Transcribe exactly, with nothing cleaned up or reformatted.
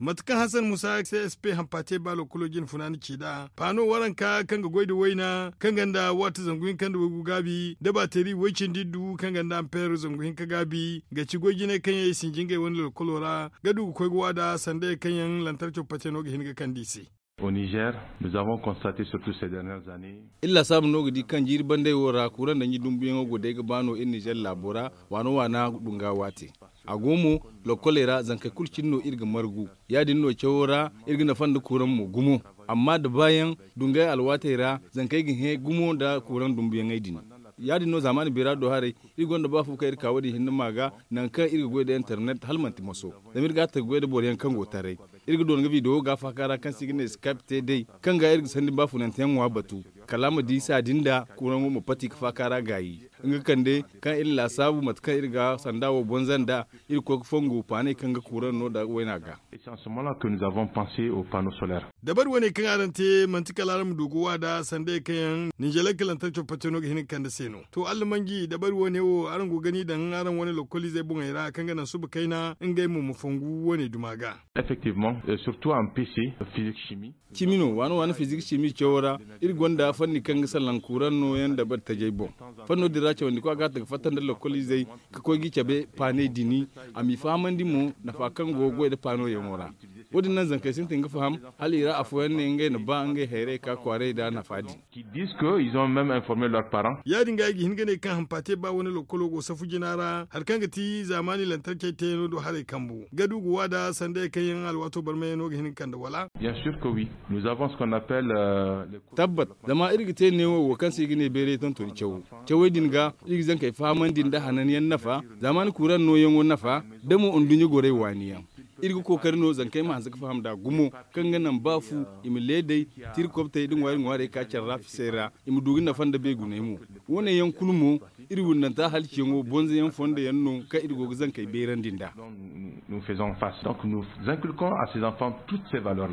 Mate kaŋ hasan musa c s p hampa te ba lokkolo jine funaani ci nd'a paano waranka kaŋ ga goy nda wayna kaŋ gonda waati zangu hinka nda waygu gaabi da baateri way-cindi iddu kaŋ gonda ampeer zangu hinka gaabi ga ci goy jinay kaŋ yaŋ i sinji ngey wane lokkolo ra ga du ga koy ga waada sanda yaŋ kaŋ yaŋ lantarco pate no ga hin ga kande i se. Iri laasaabu no ga di kaŋ jiiri bandey wo ra kuuraŋ danji dumbuyaŋo go day ga ba no iri nizer laabo ra waana waana dunga waate. A go mo lokkoley ra zankey kulu cine no iri ga margu. Ya- din no cawo ra iri ga nafa nda kuuraŋ mo gumo. Amma da baayaŋ dungay alwaatey ra zankey ga hẽ gumo nda kuuraŋ dumbuyaŋey din. Ya- din no zaamaani beera do haray iri gonda ba fu kaŋ iri ka wo- din hinne ma ga nangu kaŋ iri ga goy nda internet hala manti moso. Zama iri ga a ta ga goy nda boro yaŋ kaŋ go taray. Iri ga doona ga video ga faaka ra kaŋ se i ga ne skype te day kaŋ ga iri ga sanni baafunante yaŋ ŋwa batu kala a ma di saadi nda kuuraŋo ma pati ga faaka ra gaayi. Nga kande kaŋ iri laasaabu mate kaŋ iri ga sanda wo bonza nd'a iri ga koy ga fongu paaney kaŋ ga kuuraŋ no nda wayna ga. Dabari wane kaŋ araŋ te manti kala araŋ ma du ga waada sanda ye kaŋ yaŋ ninzeer kalantar copate no ga hin ga kande se no to allamanji dabari wane wo araŋ go ga ni daŋ araŋ wane lokkoliizey boŋey ra kaŋ ga naŋ suba kayna ngey mo ma fongu wane duma ga. Effectivement, surtout en pc, physique chimie. Cimi no waana waana fizik cimi cawo ra. Iri gonda fanni kaŋ ga salaŋ kuuraŋ nooyaŋ dabari tajey boŋ. Fanno din ra cawandi kwa ga a ta ga fatta nda lokkoliizey ka koy ga i cabe paaney dini. A m'i fahamandi mo nafa kaŋ go ga goy nda paanoyaŋo ra. Wo- din naŋ zankey sintin ga faham hala i ra afooyaŋ ne ngey na ba ngey hayrey ka kwaaray nda nafa din. Qui disent que ils ont même informé leurs parents. Ya- din ga ay ga hin ga ne kaŋ hampaate ba wane lokkolo go safu jina ra hari kaŋ ga ti zaamaani lantarkey teeyaŋo do haray kambu ga du ga waada sanda ye kaŋ yaŋ alwaato barmayyaŋo ga hin ga kande wala? Bien sûr que oui. Nous avons ce qu'on appelle. Tabbat. Zama iri ga te neewo wo kaŋ se i ga ne beeray tontoni cawo. Cawey din ga iri ga zankey fahamandi nda hananyaŋ nafa zaamaani kuuraŋ nooyaŋo nafa da mo nduɲɲa gorey waani yaŋ. Iri ga kookari no zankey ma hanse ga faham nd'a gumo kaŋ ga naŋ ba fu i ma leedey, tirkobtey nda ŋwaari ŋwaarey ka care ra fisey ra. I ma du ga nafa nda beeguney mo. Wo- ne yaŋ kulu mo iri windanta halciyaŋo bonza yaŋ fondo yaŋ no kaŋ iri go ga zankey beerandi nd'a. Nous faisons face donc nous inculquons à ces enfants toutes ces valeurs là.